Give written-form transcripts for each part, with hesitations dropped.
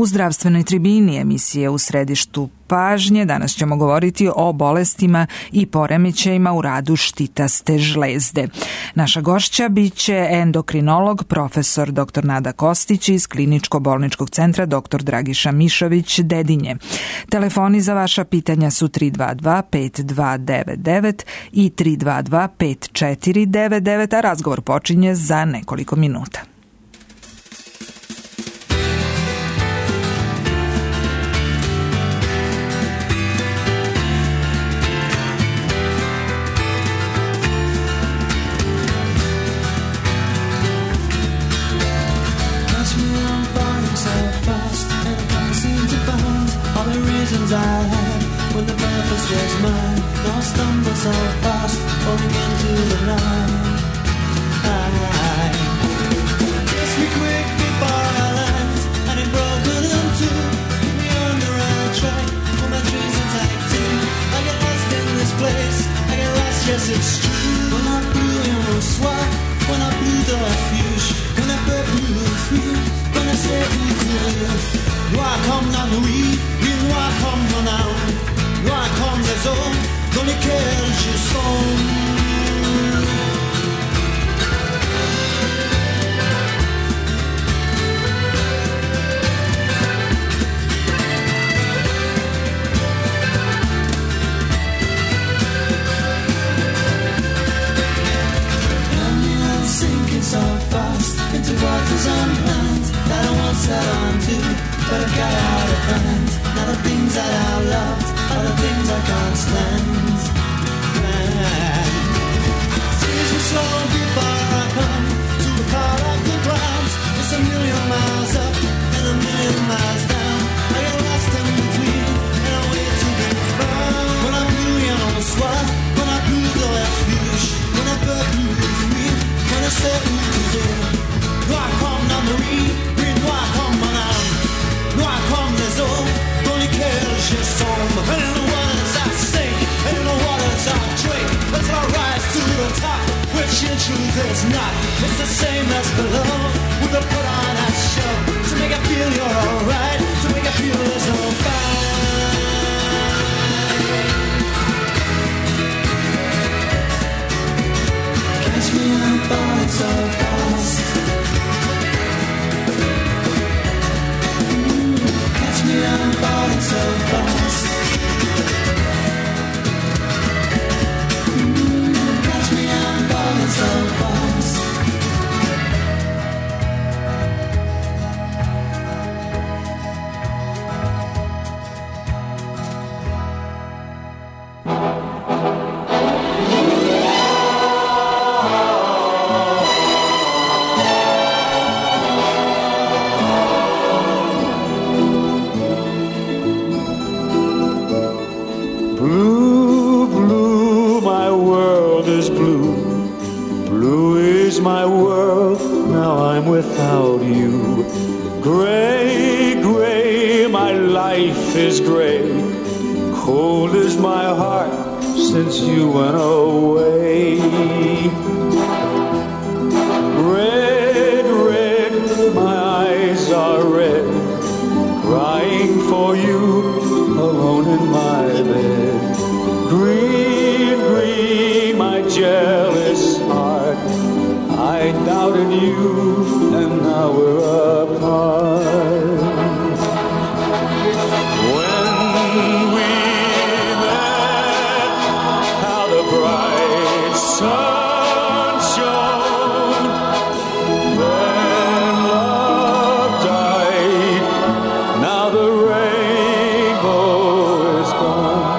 U zdravstvenoj tribini emisije U središtu pažnje danas ćemo govoriti o bolestima i poremećajima u radu štitaste žlezde. Naša gošća biće endokrinolog profesor dr. Nada Kostić iz Kliničko-bolničkog centra dr. Dragiša Mišović Dedinje. Telefoni za vaša pitanja su 322 5299 i 322 5499, a razgovor počinje za nekoliko minuta. I had when the purpose was mine. Now I stumble so fast, falling into the night. Kiss me quick before I land, and it broken in two. Keep me on the right track, for my dreams intact too. I get lost in this place, I get lost, yes it's true. When I blew in a swat, when I blew the refuge, when I blew through, when I said we could. Noir comme la nuit, oui noir comme mon âme, noir comme les eaux dans lesquelles je sombre. I'm sinking so fast into waters unplanned that I once set on to. But I got out of hand. Now the things that I loved are the things I can't stand. Seas me slow before I come to the part of the ground. It's a million miles up and a million miles down. I get lost in between and I wait to be found. When I blew you on the swat, when I blew the refuge, when I blew free, when I said we could do. Noir comme la nuit, oui noir comme mon âme. Noir comme les eaux dans lesquelles je sombre. And in the waters I sink, and in the waters I drink, until I rise to the top, which in truth is not. It's the same as below, with a put on a show, to make it feel you're alright, to make it feel there's no fight. Catch me, I'm falling so fast. I'm falling so fast. Catch me, I'm falling so fast. My world, now I'm without you. Gray, gray, my life is gray. Cold is my heart since you went away. Red, red, my eyes are red, crying for you alone in my bed. Green, green, my jealous heart, I doubted you, and now we're apart. When we met, how the bright sun shone. Then love died, now the rainbow is gone.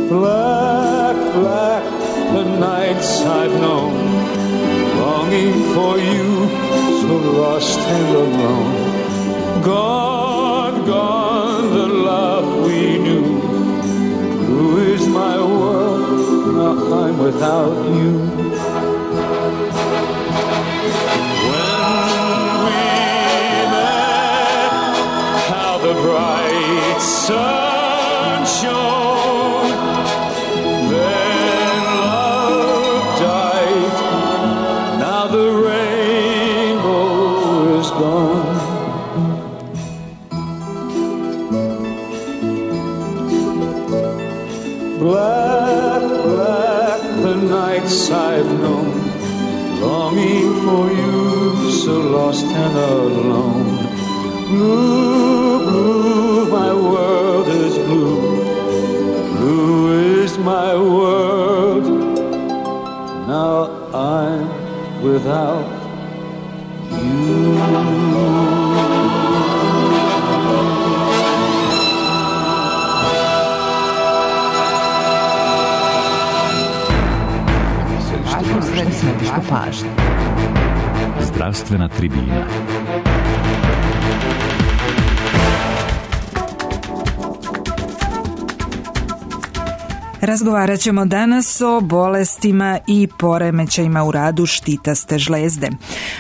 Black, black, the nights I've known, longing for you, so lost and alone. Gone, gone, the love we knew. Blue is my world, now I'm without you. When we met, how the bright sun shone. Then love died, the rainbow is gone. Black, black the nights I've known, longing for you, so lost and alone. Blue, blue, my world is blue. Blue is my world. Now I'm without you. Središtu pažnje. Zdravstvena tribina. Razgovarat ćemo danas o bolestima i poremećajima u radu štitaste žlezde.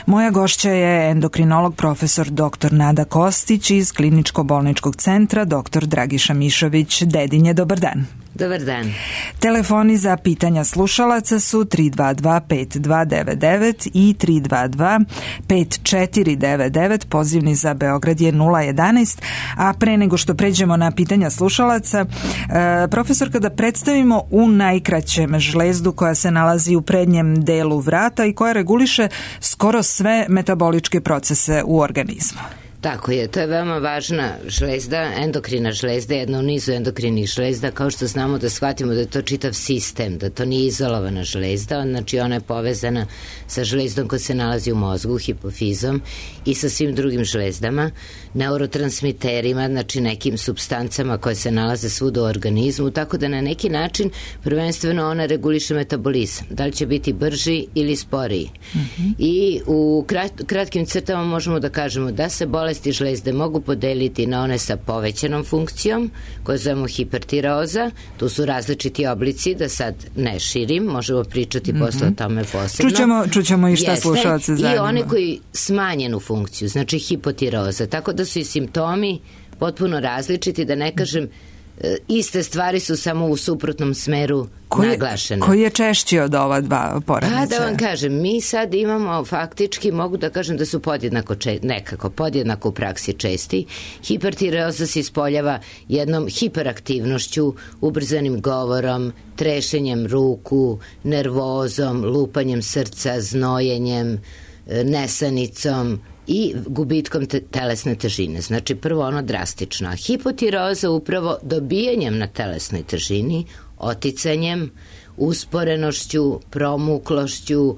Moja gošća je endokrinolog profesor dr. Nada Kostić iz Kliničko-bolničkog centra dr. Dragiša Mišović Dedinje. Dobar dan. Dobar dan. Telefoni za pitanja slušalaca su 322-5299 i 322-5499, pozivni za Beograd je 011, a pre nego što pređemo na pitanja slušalaca, profesor, kada predstavimo u najkraćem žlezdu koja se nalazi u prednjem delu vrata i koja reguliše skoro sve metaboličke procese u organizmu. Tako je, to je veoma važna žlezda, endokrina žlezda, jedna u nizu endokrinih žlezda, kao što znamo da shvatimo da je to čitav sistem, da to nije izolovana žlezda, znači ona je povezana sa žlezdom koja se nalazi u mozgu, hipofizom i sa svim drugim žlezdama, neurotransmiterima, znači nekim supstancama koje se nalaze svuda u organizmu, tako da na neki način prvenstveno ona reguliše metabolizam, da li će biti brži ili sporiji. I u kratkim crtama možemo da kažemo da se bolesti žlezde mogu podeliti na one sa povećanom funkcijom, koje zovemo hipertireoza. Tu su različiti oblici, da sad ne širim, možemo pričati posle o tome posebno. Čućemo i šta slušalce zanima. I one koji smanjenu funkciju, znači hipotireoza, tako da su i simptomi potpuno različiti, da ne kažem iste stvari su samo u suprotnom smeru naglašene. Koji je češći od ova dva poremećaja? Pa da vam kažem, mi sad imamo faktički, mogu da kažem da su podjednako u praksi česti. Hipertireoza se ispoljava jednom hiperaktivnošću, ubrzanim govorom, trešenjem ruku, nervozom, lupanjem srca, znojenjem, nesanicom i gubitkom telesne težine. Znači prvo ono drastično. A hipotireoza upravo dobijanjem na telesnoj težini, oticanjem, usporenošću, promuklošću,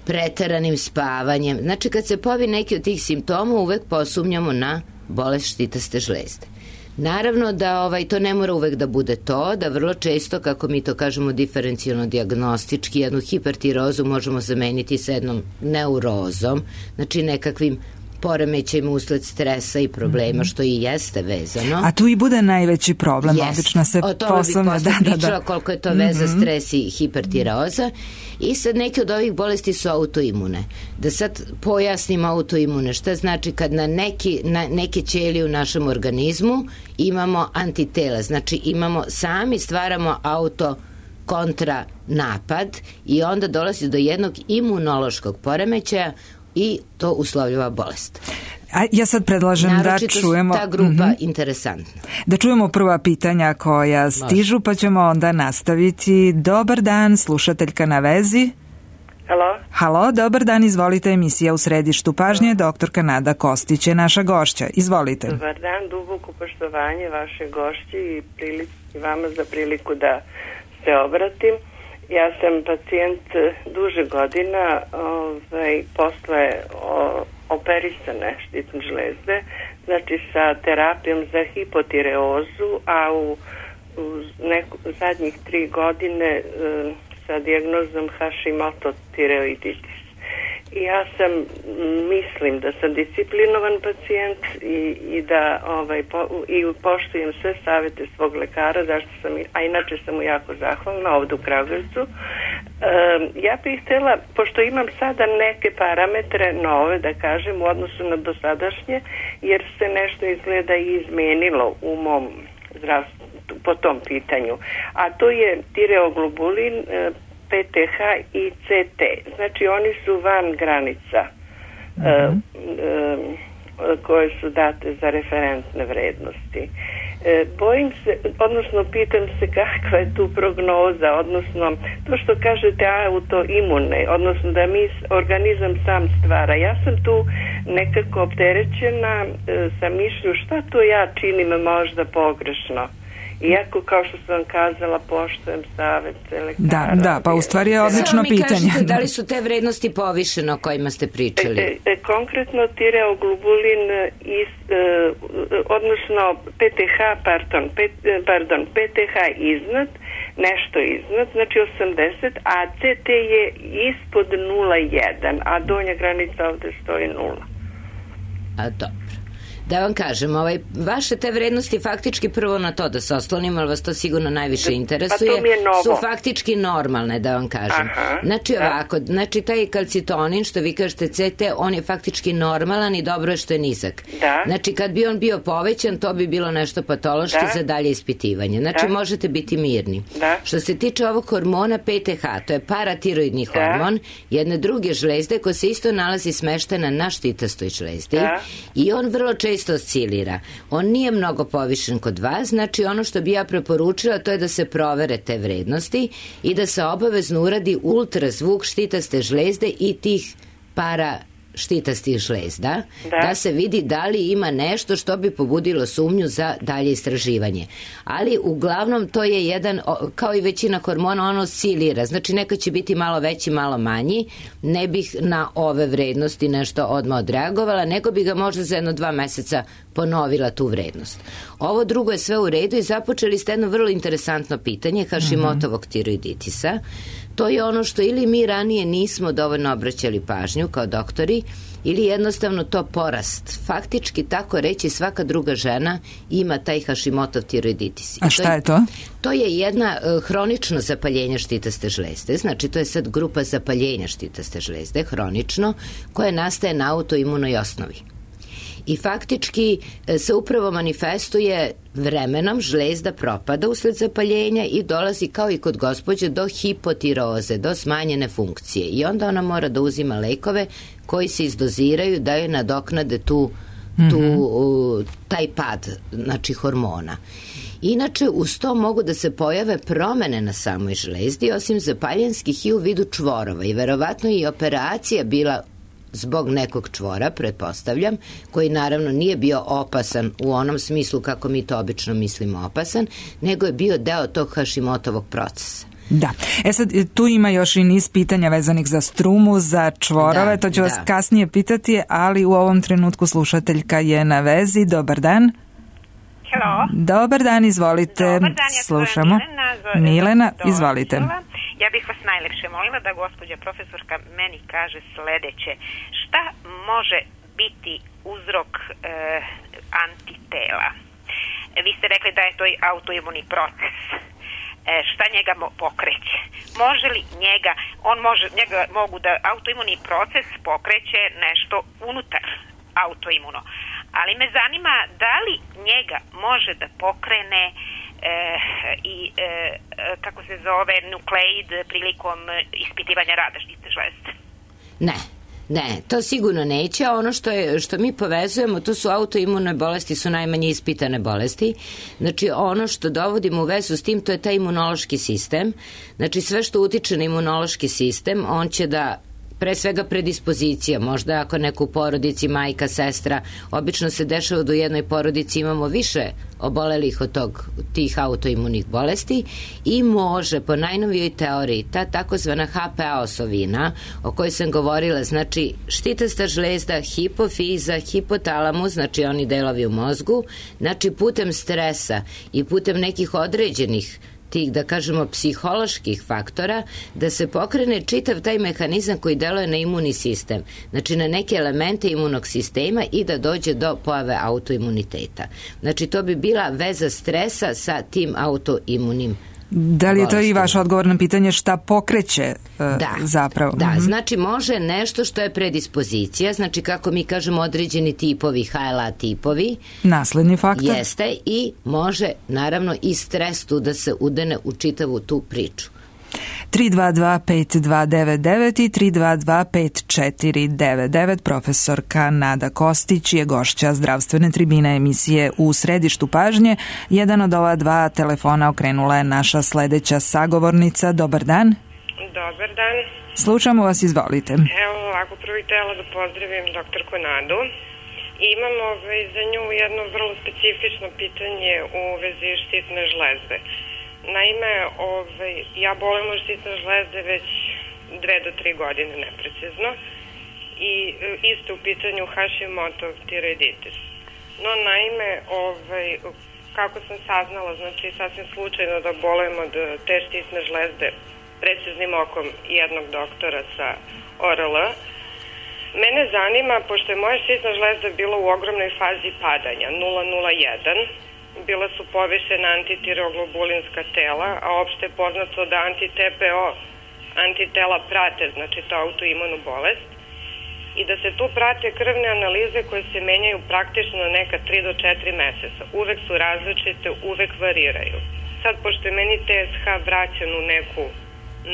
preteranim spavanjem. Znači kad se pojavi neki od tih simptoma uvek posumnjamo na bolest štitaste žlezde. Naravno da to ne mora uvek da bude to, da vrlo često, kako mi to kažemo diferencijalno dijagnostički, jednu hipertireozu možemo zameniti sa jednom neurozom, znači nekakvim poremećajima usled stresa i problema, što i jeste vezano. A tu i bude najveći problem, obično se o tome bi posle pričala koliko je to veza stres i hipertireoza. I sad neke od ovih bolesti su autoimune. Da sad pojasnim autoimune, šta znači kad na neke ćelije u našem organizmu imamo antitela, znači sami stvaramo kontra napad i onda dolazi do jednog imunološkog poremećaja i to uslovljava bolest. A ja sad predlažem da čujemo... ta grupa interesantna. Da čujemo prva pitanja koja stižu, pa ćemo onda nastaviti. Dobar dan, slušateljka na vezi. Halo, dobar dan, izvolite, emisija u središtu pažnje, doktorka Nada Kostić je naša gošća. Izvolite. Dobar dan, duboko poštovanje vaše gošći i vama za priliku da se obratim. Ja sam pacijent duže godina posle operisane štitne žlezde, znači sa terapijom za hipotireozu, a u zadnjih 3 godine sa dijagnozom Hashimoto tireoiditis. I ja mislim da sam disciplinovan pacijent i da poštujem sve savete svog lekara, a inače sam mu jako zahvalna ovdje u Kragujevcu. Ja bih htjela, pošto imam sada neke parametre nove, da kažem, u odnosu na dosadašnje, jer se nešto izgleda i izmenilo u mom zdravstvu po tom pitanju. A to je tireoglobulin, PTH i CT. Znači oni su van granica koje su date za referentne vrednosti. Bojim se, odnosno pitam se kakva je tu prognoza, odnosno to što kažete autoimune, odnosno da mi organizam sam stvara. Ja sam tu nekako opterećena sa mišlju šta to ja činim možda pogrešno. Iako, kao što sam kazala, poštujem savet lekara. Da, pa u stvari je odlično pitanje. Kažete, da li su te vrednosti povišene o kojima ste pričali? Konkretno tireoglobulin, odnosno PTH iznad, nešto iznad, znači 80, a CT je ispod 0,1, a donja granica ovde stoji 0. A dobro. Da vam kažem, vaše te vrednosti faktički prvo na to da se oslonim, ali vas to sigurno najviše interesuje, su faktički normalne, da vam kažem. Znači ovako, znači taj kalcitonin, što vi kažete CT, on je faktički normalan i dobro je što je nizak. Znači kad bi on bio povećan, to bi bilo nešto patološki za dalje ispitivanje. Znači možete biti mirni. Što se tiče ovog hormona PTH, to je paratiroidni hormon, jedne druge žlezde koja se isto nalazi smeštena na štitastoj žlezdi i on vrlo često oscilira. On nije mnogo povišen kod vas, znači ono što bi ja preporučila to je da se provere te vrednosti i da se obavezno uradi ultrazvuk štitaste žlezde i tih štitastih žlezda, da se vidi da li ima nešto što bi pobudilo sumnju za dalje istraživanje. Ali uglavnom to je jedan, kao i većina hormona, ono oscilira, znači nekad će biti malo veći, malo manji, ne bih na ove vrednosti nešto odmah odreagovala, nego bi ga možda za 1-2 meseca ponovila tu vrednost. Ovo drugo je sve u redu i započeli ste jedno vrlo interesantno pitanje Hashimotovog tiroiditisa. To je ono što ili mi ranije nismo dovoljno obraćali pažnju kao doktori, ili jednostavno to porast. Faktički, tako reći, svaka druga žena ima taj Hashimotov tiroiditis. A šta je to? To je jedna hronično zapaljenje štitaste žlezde, znači to je sad grupa zapaljenja štitaste žlezde, hronično, koje nastaje na autoimunoj osnovi. I faktički se upravo manifestuje vremenom, žlezda propada usled zapaljenja i dolazi kao i kod gospođe do hipotiroze, do smanjene funkcije. I onda ona mora da uzima lekove koji se izdoziraju da joj nadoknade taj pad, znači hormona. Inače, uz to mogu da se pojave promene na samoj žlezdi, osim zapaljenskih i u vidu čvorova. I verovatno i operacija bila zbog nekog čvora, pretpostavljam, koji naravno nije bio opasan u onom smislu kako mi to obično mislimo opasan, nego je bio deo tog Hashimotovog procesa. Da. Sad, tu ima još i niz pitanja vezanih za strumu, za čvorove, to ću vas kasnije pitati, ali u ovom trenutku slušateljka je na vezi. Dobar dan. Hello. Dobar dan, izvolite. Dobar dan, ja slušamo. Milena, izvolite. Ja bih vas najlepše molila da gospođa profesorka meni kaže sledeće. Šta može biti uzrok antitela? Vi ste rekli da je to autoimuni proces. Šta njega pokreće? Može li njega mogu da autoimuni proces pokreće nešto unutar autoimuno? Ali me zanima da li njega može da pokrene kako se zove, nukleid prilikom ispitivanja rada štitne žlezde? Ne, to sigurno neće, a ono što mi povezujemo, to su autoimune bolesti, su najmanje ispitane bolesti. Znači ono što dovodimo u vezu s tim, to je taj imunološki sistem. Znači sve što utiče na imunološki sistem, on će da pre svega predispozicija, možda ako neko u porodici, majka, sestra, obično se dešava da u jednoj porodici imamo više obolelih od tih autoimunih bolesti i može po najnovijoj teoriji ta takozvana HPA osovina o kojoj sam govorila, znači štitasta žlezda, hipofiza, hipotalamus, znači oni delovi u mozgu, znači putem stresa i putem nekih određenih tih, da kažemo, psiholoških faktora, da se pokrene čitav taj mehanizam koji deluje na imunni sistem, znači na neke elemente imunog sistema i da dođe do pojave autoimuniteta. Znači to bi bila veza stresa sa tim autoimunim. Da li je to i vaš odgovor na pitanje šta pokreće zapravo? Da, znači može nešto što je predispozicija, znači kako mi kažemo određeni tipovi, HLA tipovi. Nasledni faktor. Jeste i može naravno i stres tu da se udene u čitavu tu priču. 322-5299 i 322-5499. Profesorka Nada Kostić je gošća zdravstvene tribine emisije U središtu pažnje. Jedan od ova dva telefona okrenula je naša sledeća sagovornica. Dobar dan. Dobar dan. Slušamo vas, izvolite. Evo ovako, prvo htjela da pozdravim doktorku Nadu. Imam za nju jedno vrlo specifično pitanje u vezi štitne žlezde. Naime, ja bolim od štitne žlezde već 2 do 3 godine neprecizno i isto u pitanju Hashimoto tiroiditis. No, naime, kako sam saznala, znači sasvim slučajno da bolim od te štitne žlezde preciznim okom jednog doktora sa ORL. Mene zanima, pošto je moja štitna žlezda bila u ogromnoj fazi padanja, 0,01, bila su povišena antitireoglobulinska tela, a opšte je poznato da anti-TPO antitela prate, znači to autoimunu bolest, i da se tu prate krvne analize koje se menjaju praktično neka 3 do 4 meseca. Uvek su različite, uvek variraju. Sad, pošto je meni TSH vraćan u neku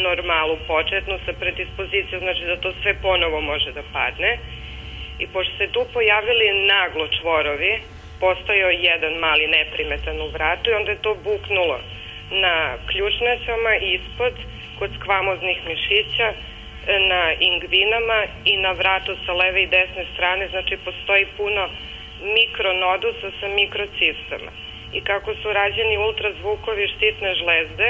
normalu početnu sa predispozicijom, znači da to sve ponovo može da padne, i pošto se tu pojavili naglo čvorovi, postojao jedan mali neprimetan u vratu i onda je to buknulo na ključnicama ispod, kod skvamoznih mišića, na ingvinama i na vratu sa leve i desne strane, znači postoji puno mikronodusa sa mikrocistama. I kako su rađeni ultrazvukovi štitne žlezde,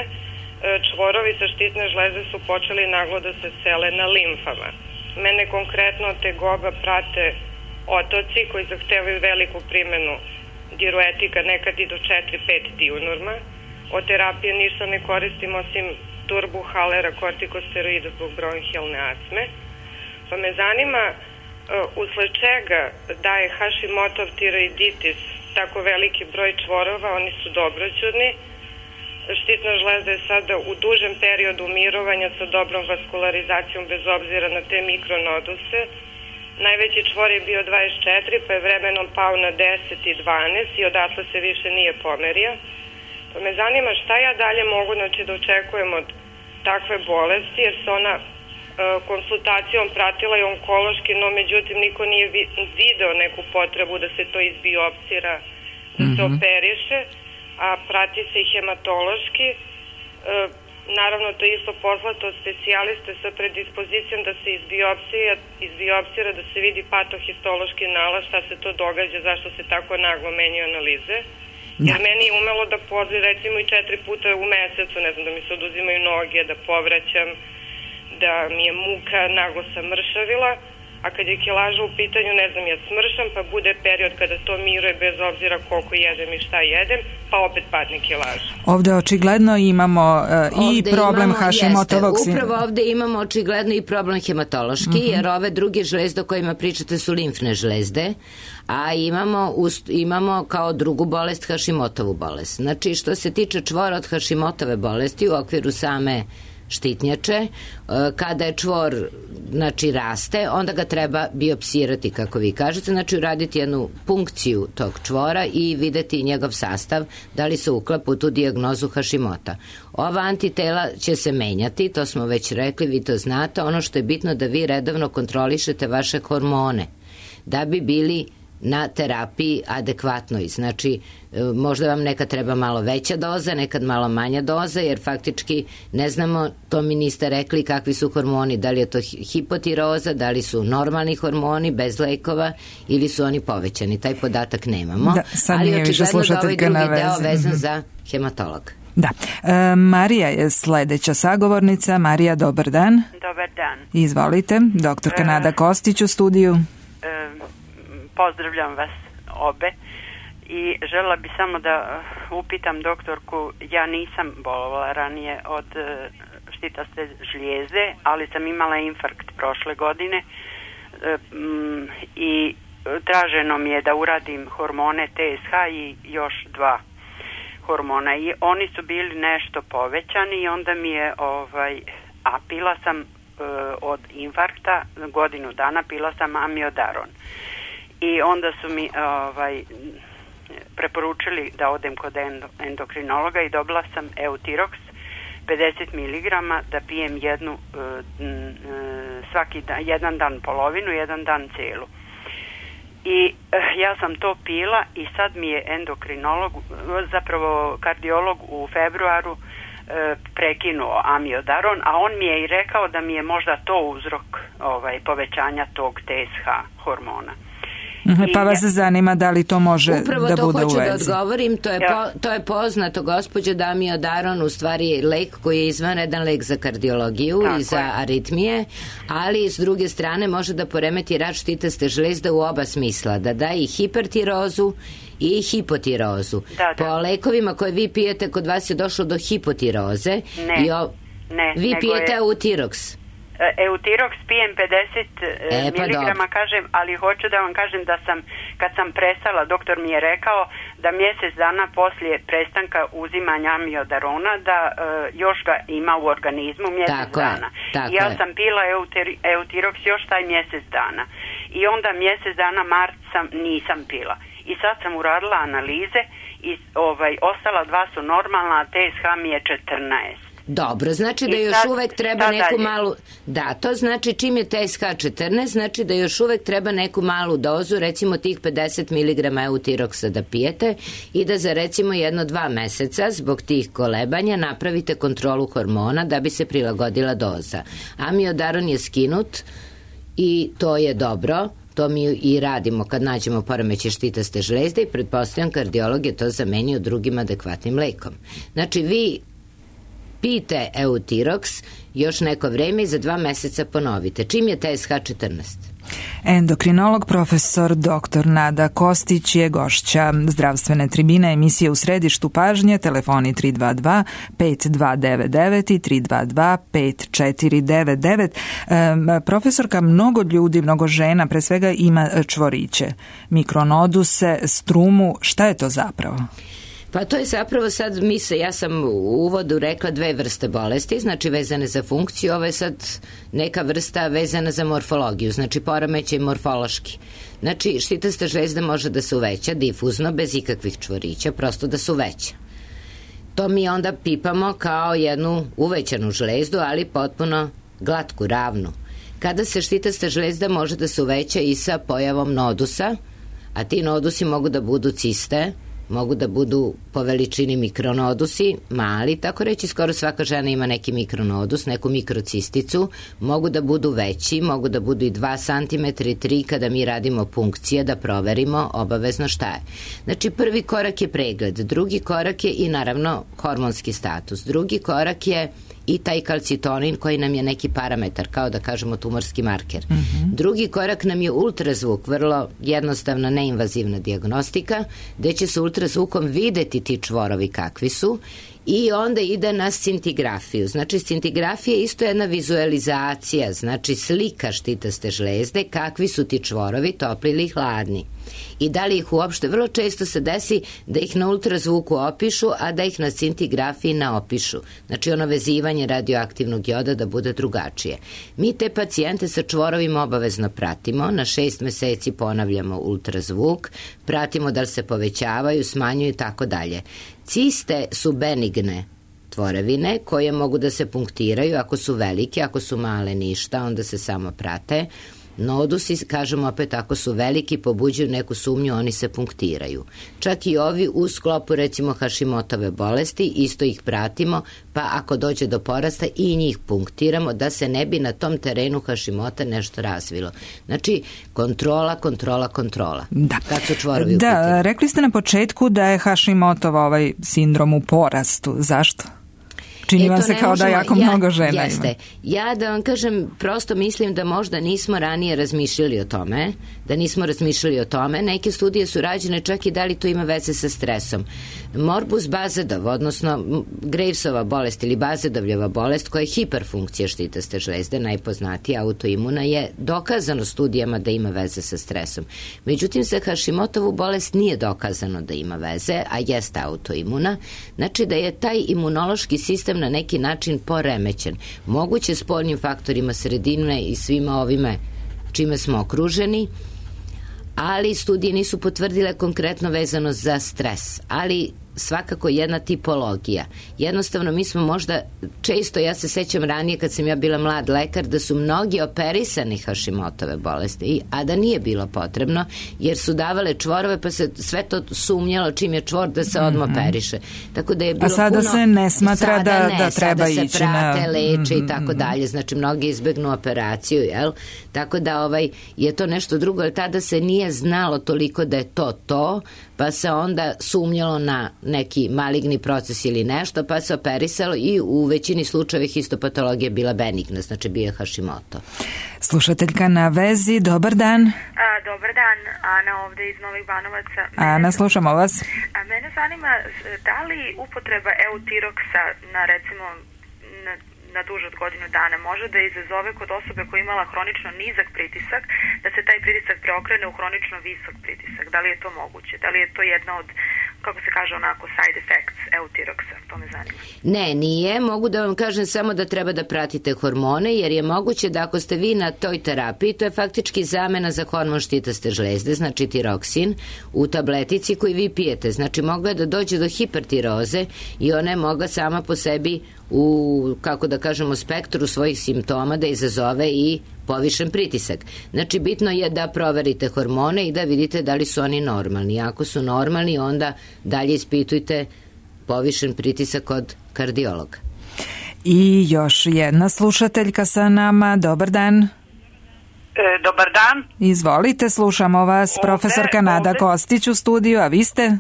čvorovi sa štitne žlezde su počeli naglo da se sele na limfama. Mene konkretno tegoba prate otoci koji zahtevaju veliku primenu diuretika, nekad i do 4-5 diunorma. Od terapije ništa ne koristim osim turbuhalera, kortikosteroida zbog bronhijalne astme. Pa me zanima usled čega daje Hashimotov tiroiditis tako veliki broj čvorova, oni su dobroćudni. Štitna žlezda je sada u dužem periodu mirovanja sa dobrom vaskularizacijom bez obzira na te mikronoduse. Najveći čvor je bio 24, pa je vremenom pao na 10 i 12 i odatle se više nije pomerio. Pa me zanima šta ja dalje mogu da očekujem od takve bolesti, jer se ona konsultacijom pratila i onkološki, no međutim niko nije video neku potrebu da se to izbiopsira, da se operiše, a prati se i hematološki. Naravno, to je isto poslato od specijaliste sa predispozicijom da se izbiopsira, da se vidi patohistološki nalaz, šta se to događa, zašto se tako naglo menjaju analize. Jer meni je umelo da podli recimo i 4 puta u mesecu, ne znam, da mi se oduzimaju noge, da povraćam, da mi je muka, naglo sam mršavila, a kad je kilaža u pitanju, ne znam, ja smršam, pa bude period kada to miruje bez obzira koliko jedem i šta jedem, pa opet padne kilaža. Ovde očigledno imamo i problem Hashimotovog sindroma. Upravo ovde imamo očigledno i problem hematološki, jer ove druge žlezde o kojima pričate su limfne žlezde, a imamo kao drugu bolest Hashimotovu bolest. Znači, što se tiče čvora od Hashimotove bolesti u okviru same štitnjače, kada je čvor raste, onda ga treba biopsirati, kako vi kažete, znači uraditi jednu punkciju tog čvora i videti njegov sastav, da li se uklapa u tu dijagnozu Hashimota. Ova antitela će se menjati, to smo već rekli, vi to znate. Ono što je bitno da vi redovno kontrolišete vaše hormone, da bi bili na terapiji adekvatnoj. Znači, možda vam nekad treba malo veća doza, nekad malo manja doza, jer faktički ne znamo, to mi niste rekli kakvi su hormoni, da li je to hipotiroza, da li su normalni hormoni bez lekova ili su oni povećani. Taj podatak nemamo, ali očigledno da ovaj drugi deo vezan za hematolog. Da. Marija je sledeća sagovornica. Marija, dobar dan. Dobar dan. Izvolite, doktorka Nada Kostić u studiju. Pozdravljam vas obe i želela bi samo da upitam doktorku, ja nisam bolovala ranije od štitaste žlijezde, ali sam imala infarkt prošle godine i traženo mi je da uradim hormone TSH i još 2 hormona i oni su bili nešto povećani i onda mi je a pila sam od infarkta godinu dana, pila sam amiodaron. I onda su mi preporučili da odem kod endokrinologa i dobila sam Eutirox 50 miligrama, da pijem jednu svaki dan, jedan dan polovinu, jedan dan celu. I ja sam to pila i sad mi je endokrinolog, zapravo kardiolog u februaru prekinuo amiodaron, a on mi je i rekao da mi je možda to uzrok povećanja tog TSH hormona. Pa vas zanima da li to može upravo da bude u vezi. Upravo to hoću da odgovorim, to je poznato, gospođo, da amiodaron u stvari je lek koji je izvanredan lek za kardiologiju i za aritmije, ali s druge strane može da poremeti rad štitaste žlezde u oba smisla, da da i hipertirozu i hipotirozu. Po lekovima koje vi pijete, kod vas je došlo do hipotiroze. Vi pijete Eutirox. Eutirox pijem 50 miligrama, kažem, ali hoću da vam kažem da kad sam prestala, doktor mi je rekao da mjesec dana poslije prestanka uzimanja amiodarona da još ga ima u organizmu mjesec dana. I ja sam pila Eutirox još taj mjesec dana. I onda mjesec dana nisam pila. I sad sam uradila analize i ostala 2 su normalna, a TSH mi je 14. Dobro, znači da još uvek treba neku malu... Da, to znači čim je TSH 14, znači da još uvek treba neku malu dozu, recimo tih 50 mg Eutiroxa da pijete i da za recimo 1-2 meseca zbog tih kolebanja napravite kontrolu hormona da bi se prilagodila doza. Amiodaron je skinut i to je dobro. To mi i radimo kad nađemo poremećaj štitaste žlezde i pretpostavljam kardiolog je to zamenio drugim adekvatnim lekom. Znači vi pijte Eutirox još neko vreme i za 2 meseca ponovite. Čim je TSH 14? Endokrinolog profesor dr. Nada Kostić je gošća zdravstvene tribine emisije U središtu pažnje, telefoni 322 5299 i 322 5499. Profesorka, mnogo ljudi, mnogo žena, pre svega ima čvoriće, mikronoduse, strumu, šta je to zapravo? Pa to je zapravo sad, ja sam u uvodu rekla 2 vrste bolesti, znači vezane za funkciju, ovo je sad neka vrsta vezana za morfologiju, znači poremećaj morfološki. Znači štitasta žlezda može da se uveća difuzno, bez ikakvih čvorića, prosto da se uveća. To mi onda pipamo kao jednu uvećanu žlezdu, ali potpuno glatku, ravnu. Kada se štitasta žlezda može da se uveća i sa pojavom nodusa, a ti nodusi mogu da budu ciste, mogu da budu po veličini mikronodusi, mali, tako reći skoro svaka žena ima neki mikronodus, neku mikrocisticu, mogu da budu veći, mogu da budu i 2 cm i 3 kada mi radimo punkcije da proverimo obavezno šta je. Znači prvi korak je pregled, drugi korak je i naravno hormonski status, drugi korak je i taj kalcitonin koji nam je neki parametar, kao da kažemo tumorski marker. Drugi korak nam je ultrazvuk, vrlo jednostavna neinvazivna dijagnostika, gde će se ultrazvukom videti ti čvorovi kakvi su i onda ide na scintigrafiju. Znači scintigrafija je isto jedna vizualizacija, znači slika štitaste žlezde, kakvi su ti čvorovi, topli ili hladni. I da li ih uopšte, vrlo često se desi da ih na ultrazvuku opišu, a da ih na scintigrafiji ne opišu. Znači ono vezivanje radioaktivnog joda da bude drugačije. Mi te pacijente sa čvorovima obavezno pratimo, na 6 meseci ponavljamo ultrazvuk, pratimo da li se povećavaju, smanjuju i tako dalje. Ciste su benigne tvorevine koje mogu da se punktiraju ako su velike, ako su male ništa, onda se samo prate. Nodusi, kažemo opet, ako su veliki, pobuđuju neku sumnju, oni se punktiraju. Čak i ovi u sklopu recimo Hašimotove bolesti, isto ih pratimo, pa ako dođe do porasta i njih punktiramo da se ne bi na tom terenu Hašimota nešto razvilo. Znači, kontrola. Da. Kad su čvorovi u pitanju. Da, rekli ste na početku da je Hašimotova sindrom u porastu. Zašto? Čini vam se kao da jako mnogo žena ima. Ja da vam kažem, prosto mislim da možda nismo ranije razmišljali o tome, neke studije su rađene čak i da li to ima veze sa stresom. Morbus Bazedov, odnosno Gravesova bolest ili Bazedovljeva bolest, koja je hiperfunkcija štitaste žlezde, najpoznatija autoimuna, je dokazano studijama da ima veze sa stresom. Međutim, za Hašimotovu bolest nije dokazano da ima veze, a jeste autoimuna, znači da je taj imunološki sistem na neki način poremećen. Moguće spoljnim faktorima sredine i svima ovime čime smo okruženi, ali studije nisu potvrdile konkretno vezano za stres. Ali svakako jedna tipologija. Jednostavno mi smo možda često, ja se sećam ranije kad sam ja bila mlad lekar, da su mnogi operisani Hashimotove bolesti, a da nije bilo potrebno, jer su davale čvorove pa se sve to sumnjalo čim je čvor da se odmah operiše. Tako da je bilo a sada puno, se ne smatra da treba ići na... Sada se prate, leče i tako dalje. Znači mnogi izbegnu operaciju, jel? Tako da je to nešto drugo, jer tada se nije znalo toliko da je to, pa se onda sumnjalo na neki maligni proces ili nešto, pa se operisalo i u većini slučajeva histopatologija bila benigna, znači bio je Hashimoto. Slušateljka na vezi, dobar dan. Dobar dan, Ana ovde iz Novih Banovaca. Ana, slušamo vas. Mene zanima da li upotreba eutiroksa na recimo na duže od godinu dana može da izazove kod osobe koja je imala hronično nizak pritisak, da se taj pritisak preokrene u hronično visok pritisak. Da li je to moguće? Da li je to jedna od, kako se kaže onako, side effects eutiroksa? To me zanima. Ne, nije. Mogu da vam kažem samo da treba da pratite hormone, jer je moguće da ako ste vi na toj terapiji, to je faktički zamena za hormon štitaste žlezde, znači tiroksin, u tabletici koji vi pijete. Znači mogla da dođe do hipertiroze i ona je mogla sama po sebi u, kako da kažemo, spektru svojih simptoma da izazove i povišen pritisak. Znači bitno je da proverite hormone i da vidite da li su oni normalni. Ako su normalni, onda dalje ispitujte povišen pritisak kod kardiologa. I još jedna slušateljka sa nama, dobar dan. Dobar dan. Izvolite, slušamo vas, profesorka Nada Kostić u studiju, a vi ste?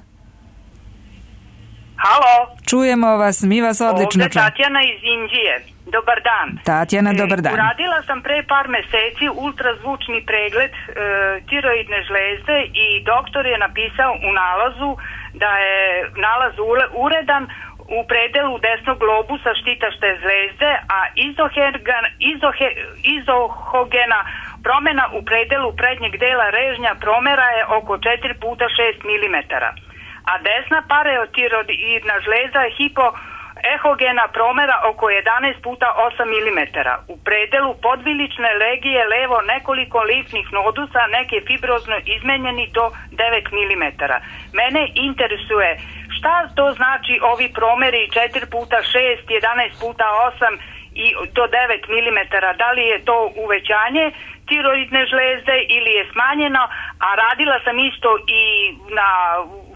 Halo. Čujemo vas, mi vas odlično čujemo. Ovde Tatjana iz Indije. Dobar dan. Tatjana, dobar dan. Uradila sam pre par meseci ultrazvučni pregled tiroidne žlezde i doktor je napisao u nalazu da je nalaz uredan u predelu desnog globusa štitašte žlezde, a izohogena promena u predelu prednjeg dela režnja promera je oko 4 puta 6 mm. A desna pareotiroidna žlezda je hipoehogena promera oko 11 puta 8 mm. U predelu podvilične legije levo nekoliko limfnih nodusa, neke fibrozno izmenjeni do 9 mm. Mene interesuje šta to znači ovi promeri 4 puta 6, 11 puta 8 i do 9 mm. Da li je to uvećanje tiroidne žlezde ili je smanjeno, a radila sam isto i na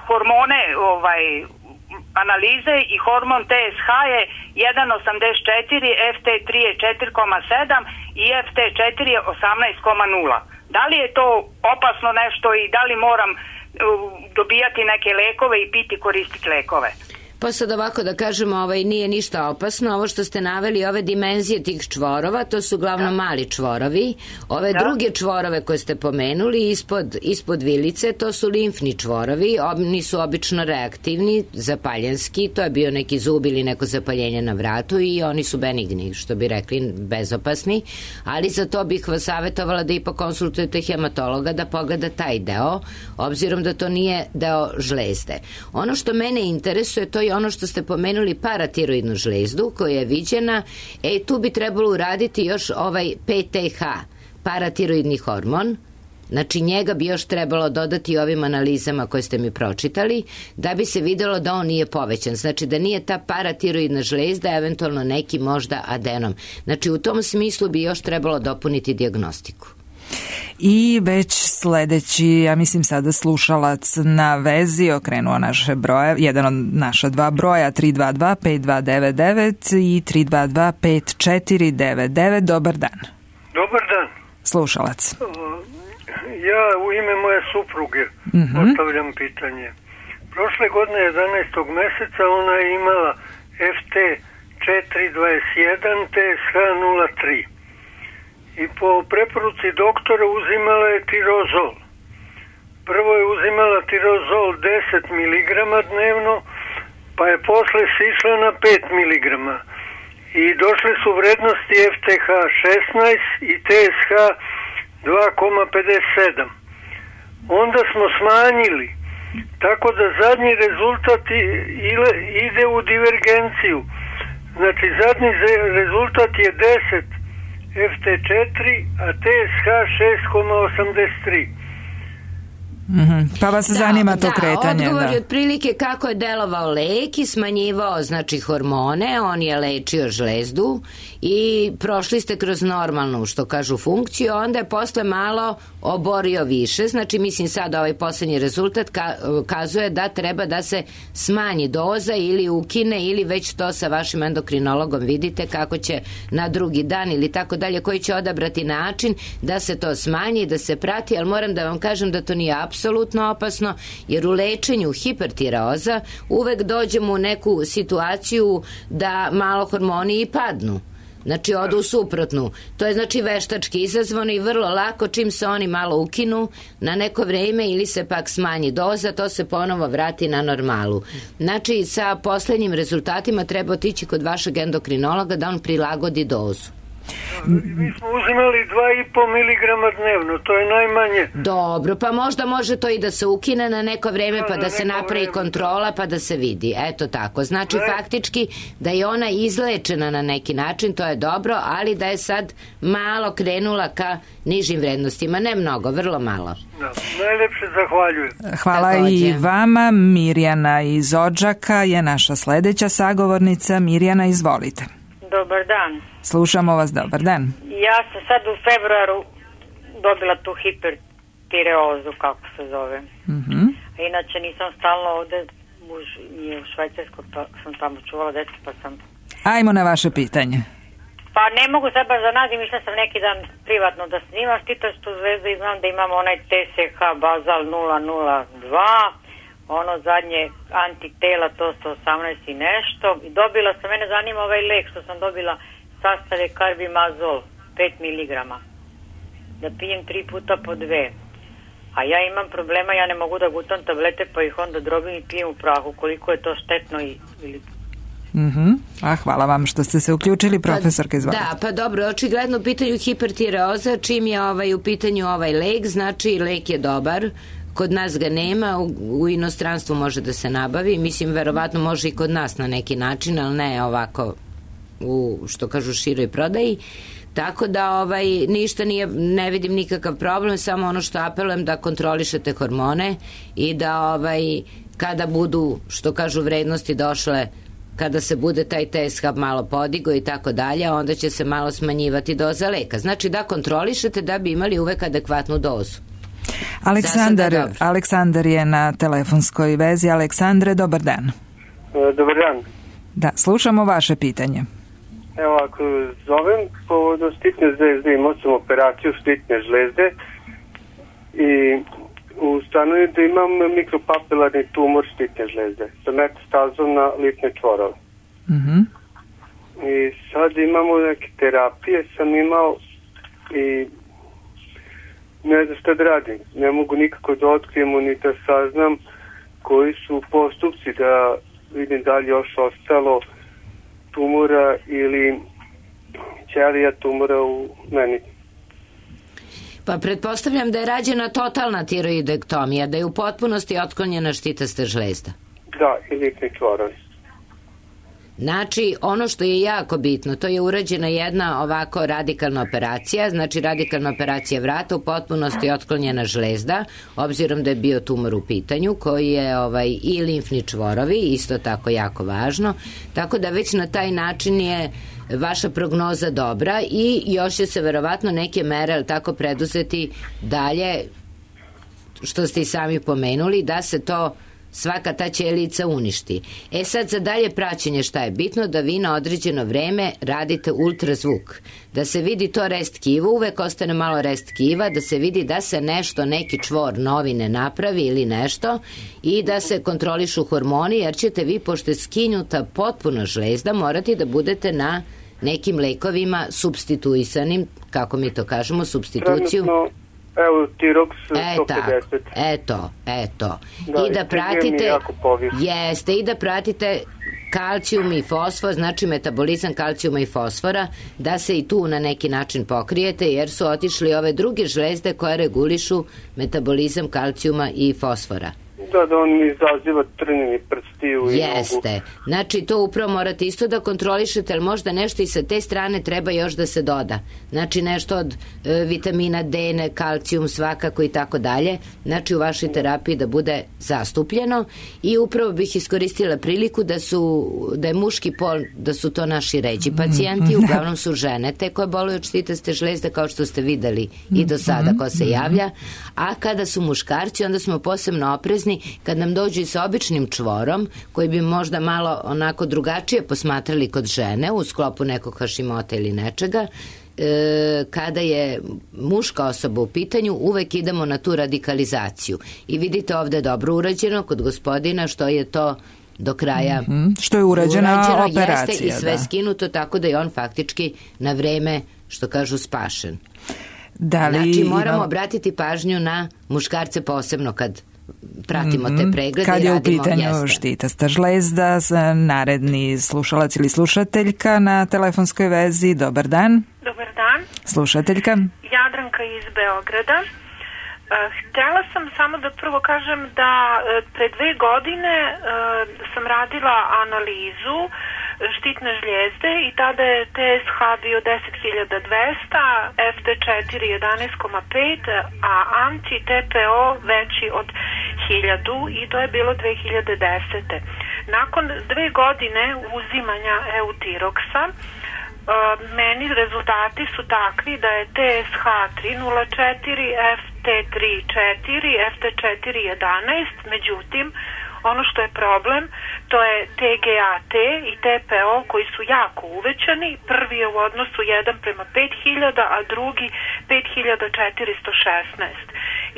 hormone analize i hormon TSH je 1,84, FT3 je 4,7 i FT4 je 18,0. Da li je to opasno nešto i da li moram dobijati neke lekove i piti, koristiti lekove? Pa sad ovako da kažemo, nije ništa opasno. Ovo što ste naveli, ove dimenzije tih čvorova, to su uglavnom mali čvorovi. Ove druge čvorove koje ste pomenuli ispod vilice, to su limfni čvorovi. Oni su obično reaktivni, zapaljenski, to je bio neki zub ili neko zapaljenje na vratu i oni su benigni, što bi rekli, bezopasni. Ali za to bih vas savjetovala da ipak konsultujete hematologa da pogleda taj deo, obzirom da to nije deo žlezde. Ono što mene interesuje, to je ono što ste pomenuli, paratiroidnu žlezdu koja je viđena, tu bi trebalo uraditi još ovaj PTH, paratiroidni hormon. Znači njega bi još trebalo dodati ovim analizama koje ste mi pročitali, da bi se videlo da on nije povećan. Znači da nije ta paratiroidna žlezda, eventualno neki možda adenom. Znači u tom smislu bi još trebalo dopuniti dijagnostiku. I već sledeći, ja mislim sada slušalac na vezi, okrenuo naše broje, jedan od naša dva broja, 322-5299 i 322-5499. Dobar dan. Dobar dan. Slušalac. Ja u ime moje supruge postavljam pitanje. Prošle godine 11. meseca ona je imala FT421 TSH 03. I po preporuci doktora uzimala je tirozol. Prvo je uzimala tirozol 10 mg dnevno, pa je posle sišla na 5 mg. I došle su vrednosti FTH 16 i TSH 2,57. Onda smo smanjili, tako da zadnji rezultat ide u divergenciju. Znači zadnji rezultat je 10 FT4, a TSH 6,83. Pa vas zanima to kretanje. Odgovor je otprilike kako je delovao lek i smanjivao znači hormone, on je lečio žlezdu i prošli ste kroz normalnu, što kažu, funkciju, onda je posle malo oborio više, znači mislim sad ovaj poslednji rezultat kazuje da treba da se smanji doza ili ukine ili već to sa vašim endokrinologom vidite kako će na drugi dan ili tako dalje, koji će odabrati način da se to smanji, da se prati, ali moram da vam kažem da to nije apsolutno opasno, jer u lečenju hipertireoza uvek dođemo u neku situaciju da malo hormoni i padnu. Znači odu u suprotnu. To je znači veštački izazvano i vrlo lako čim se oni malo ukinu na neko vreme ili se pak smanji doza, to se ponovo vrati na normalu. Znači sa poslednjim rezultatima treba otići kod vašeg endokrinologa da on prilagodi dozu. Mi smo uzimali 2,5 miligrama dnevno, to je najmanje. Dobro, pa možda može to i da se ukine na neko vreme, pa da se napravi kontrola, pa da se vidi. Eto tako. Znači, faktički da je ona izlečena na neki način, to je dobro, ali da je sad malo krenula ka nižim vrednostima. Ne mnogo, vrlo malo. Najlepše zahvaljujem. Hvala i vama. Mirjana iz Odžaka je naša sledeća sagovornica. Mirjana, izvolite. Dobar dan. Slušamo vas, dobar dan. Ja sam sad u februaru dobila tu hipertireozu, kako se zove. A inače nisam stalno ovde, muž je u Švajcarskoj, pa sam tamo čuvala deca, pa sam... Ajmo na vaše pitanje. Pa ne mogu sad baš da nađem, išla sam neki dan privatno da snimam štitastu zvezdu i znam da imam onaj TSH bazal 002, ono zadnje antitela, to 118 i nešto. I dobila sam, mene zanima ovaj lek što sam dobila, sastav je karbimazol, 5 mg. Da pijem 3 puta po 2. A ja imam problema, ja ne mogu da gutam tablete, pa ih onda drobim i pijem u prahu. Koliko je to štetno ili... Hvala vam što ste se uključili, profesorka, izvolite. Da, pa dobro, očigledno u pitanju hipertireoza, čim je u pitanju ovaj lek, znači lek je dobar. Kod nas ga nema, u inostranstvu može da se nabavi, mislim verovatno može i kod nas na neki način, ali ne ovako u, što kažu, široj prodaji. Tako da ništa nije, ne vidim nikakav problem, samo ono što apelujem da kontrolišete hormone i da kada budu, što kažu, vrednosti došle, kada se bude taj TSH malo podigo i tako dalje, onda će se malo smanjivati doza leka. Znači da kontrolišete da bi imali uvek adekvatnu dozu. Aleksandar je na telefonskoj vezi. Aleksandre, dobar dan. Dobar dan. Da, slušamo vaše pitanje. Evo, ako zovem povodom štitne žlezde, imao sam operaciju štitne žlezde i ustanovio da imam mikropapilarni tumor štitne žlezde sa metastazom na lipne čvorove. I sad imamo neke terapije, sam imao i ne znam šta da radim. Ne mogu nikako da otkrijemo ni da saznam koji su postupci da vidim da li još ostalo tumora ili ćelija tumora u meni. Pa pretpostavljam da je rađena totalna tiroidektomija, da je u potpunosti otklonjena štitasta žlezda. Da, i lipni čvorovi. Znači, ono što je jako bitno, to je urađena jedna ovako radikalna operacija, znači radikalna operacija vrata, u potpunosti otklonjena žlezda, obzirom da je bio tumor u pitanju, koji je i limfni čvorovi, isto tako jako važno, tako da već na taj način je vaša prognoza dobra i još će se verovatno neke mere, ali tako, preduzeti dalje, što ste i sami pomenuli, da se to svaka ta ćelica uništi. Sad za dalje praćenje šta je bitno, da vi na određeno vreme radite ultrazvuk, da se vidi to rest tkiva, uvek ostane malo rest tkiva, da se vidi da se nešto, neki čvor novi ne napravi ili nešto i da se kontrolišu hormoni, jer ćete vi, pošto je skinuta potpuno žlezda, morati da budete na nekim lekovima substituisanim, kako mi to kažemo, substituciju. Evo, Tirox 150. Eto. I da pratite, i da pratite kalcijum i fosfor, znači metabolizam kalcijuma i fosfora, da se i tu na neki način pokrijete, jer su otišli ove druge žlezde koje regulišu metabolizam kalcijuma i fosfora. Da on mi izaziva trnjeni prstiju i Jeste. nogu. Znači, to upravo morate isto da kontrolišete, ali možda nešto i sa te strane treba još da se doda. Znači, nešto od vitamina D, kalcijum svakako i tako dalje. Znači, u vašoj terapiji da bude zastupljeno i upravo bih iskoristila priliku da je muški pol, da su to naši ređi pacijenti, uglavnom su žene te koje boluju od štitaste žlezde, kao što ste videli i do sada ko se javlja, a kada su muškarci, onda smo posebno oprezni kad nam dođu i sa običnim čvorom, koji bi možda malo onako drugačije posmatrali kod žene u sklopu nekog Hašimota ili nečega. Kada je muška osoba u pitanju, uvek idemo na tu radikalizaciju. I vidite ovde dobro urađeno kod gospodina što je to do kraja što je urađena operacija, jeste i sve skinuto, tako da je on faktički na vreme, što kažu, spašen. Znači moramo obratiti pažnju na muškarce posebno kad pratimo te preglede. Kad je u pitanju štitasta žlezda, naredni slušalac ili slušateljka na telefonskoj vezi. Dobar dan. Dobar dan. Slušateljka. Jadranka iz Beograda. Htjela sam samo da prvo kažem da pre 2 godine sam radila analizu štitne žlijezde i tada je TSH bio 10.200, FT4 11,5, a anti-TPO veći od 1000 i to je bilo 2010. Nakon 2 godine uzimanja Eutiroksa, meni rezultati su takvi da je TSH 304, FT3 4, FT4 11, međutim, ono što je problem, to je TGAT i TPO koji su jako uvećani. Prvi je u odnosu 1:5000, a drugi 5416.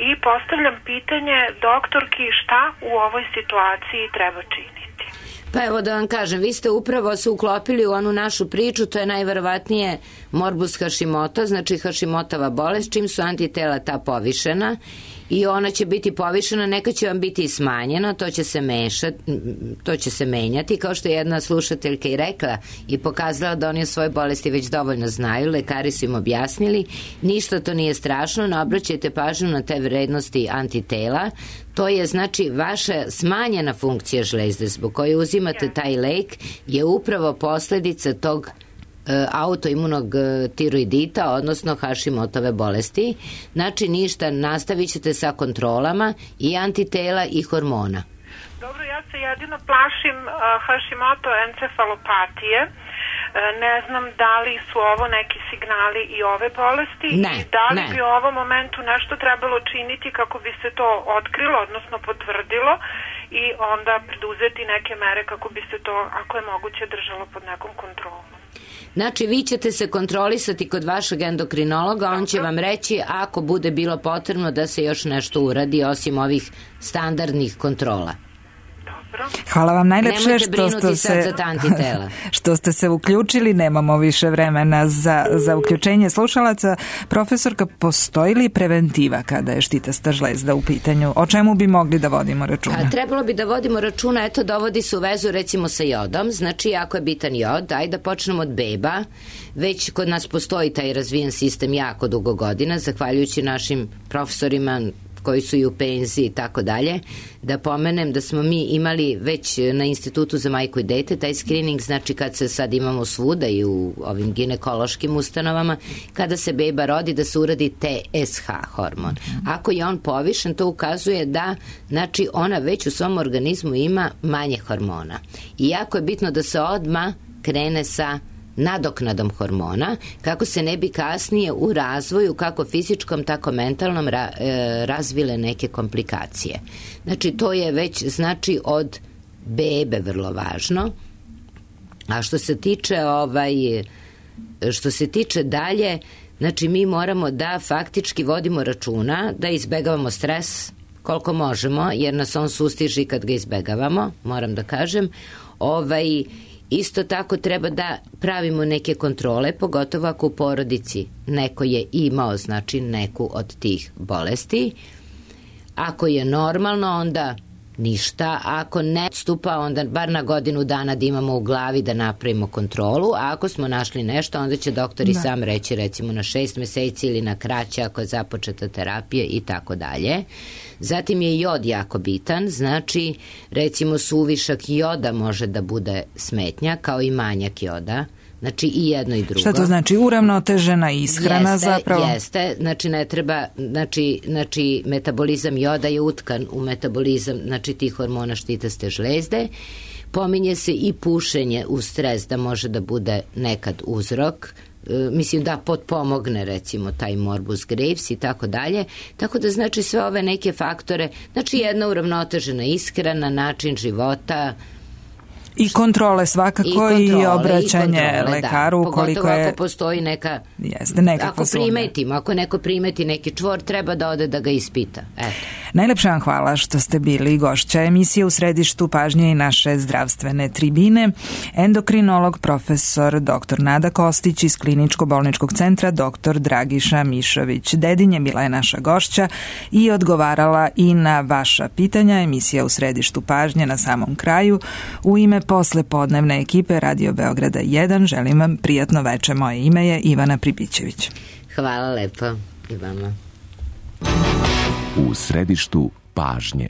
I postavljam pitanje doktorki šta u ovoj situaciji treba činiti. Pa evo da vam kažem, vi ste upravo se uklopili u onu našu priču, to je najverovatnije morbus Hašimota, znači Hašimotova bolest, čim su antitela ta povišena i ona će biti povišena, neka će vam biti i smanjena, to će se menjati, kao što je jedna slušateljka i rekla i pokazala da oni o svojoj bolesti već dovoljno znaju, lekari su im objasnili, ništa to nije strašno, ne obraćajte pažnju na te vrednosti antitela, to je znači vaša smanjena funkcija žlezde zbog koje uzimate taj lek je upravo posledica tog autoimunog tiroidita, odnosno Hašimotove bolesti. Znači ništa, nastavit ćete sa kontrolama i antitela i hormona. Dobro, ja se jedino plašim Hašimoto encefalopatije. Ne znam da li su ovo neki signali i ove bolesti i da li bi u ovom momentu nešto trebalo činiti kako bi se to otkrilo, odnosno potvrdilo i onda preduzeti neke mere kako bi se to, ako je moguće, držalo pod nekom kontrolom. Znači, vi ćete se kontrolisati kod vašeg endokrinologa, on će vam reći ako bude bilo potrebno da se još nešto uradi osim ovih standardnih kontrola. Hvala vam najlepše što ste se uključili, nemamo više vremena za uključenje slušalaca. Profesorka, postoji li preventiva kada je štitasta žlezda u pitanju? O čemu bi mogli da vodimo računa? Trebalo bi da vodimo računa, eto dovodi se u vezu recimo sa jodom, znači ako je bitan jod, ajde da počnemo od beba, već kod nas postoji taj razvijen sistem jako dugo godina, zahvaljujući našim profesorima koji su i u penziji i tako dalje, da pomenem da smo mi imali već na Institutu za majku i dete taj screening, znači kad se sad imamo svuda i u ovim ginekološkim ustanovama, kada se beba rodi da se uradi TSH hormon. Ako je on povišen, to ukazuje da znači ona već u svom organizmu ima manje hormona. I jako je bitno da se odmah krene sa nadoknadom hormona, kako se ne bi kasnije u razvoju, kako fizičkom, tako mentalnom, razvile neke komplikacije. Znači, to je već, znači, od bebe vrlo važno. A što se tiče dalje, znači, mi moramo da faktički vodimo računa, da izbegavamo stres koliko možemo, jer nas on sustiži kad ga izbegavamo, moram da kažem. Isto tako treba da pravimo neke kontrole, pogotovo ako u porodici neko je imao, znači, neku od tih bolesti. Ako je normalno, onda ništa. Ako ne odstupa, onda bar na godinu dana da imamo u glavi da napravimo kontrolu, a ako smo našli nešto, onda će doktor i sam reći, recimo na 6 meseci ili na kraće ako je započeta terapija i tako dalje. Zatim je jod jako bitan, znači recimo suvišak joda može da bude smetnja kao i manjak joda. Znači i jedno i drugo. Šta to znači? Uravnotežena ishrana zapravo? Jeste, znači ne treba, znači metabolizam joda je utkan u metabolizam, znači tih hormona štitaste žlezde. Pominje se i pušenje u stres da može da bude nekad uzrok, mislim da potpomogne recimo taj morbus Graves i tako dalje, tako da znači sve ove neke faktore, znači jedna uravnotežena ishrana, način života, i kontrole svakako i obraćanje lekaru ukoliko pogotovo je... ako postoji neka... Jeste, nekako ako neko primeti neki čvor, treba da ode da ga ispita. Eto. Najlepša vam hvala što ste bili gošća emisije U središtu pažnje i naše zdravstvene tribine. Endokrinolog profesor dr. Nada Kostić iz Kliničko-bolničkog centra dr. Dragiša Mišović. Dedinje bila je naša gošća i odgovarala i na vaša pitanja. Emisija U središtu pažnje na samom kraju. U ime posle podnevne ekipe Radio Beograda 1 želim vam prijatno veče. Moje ime je Ivana Pribićević. Hvala lepo i vama. U središtu pažnje.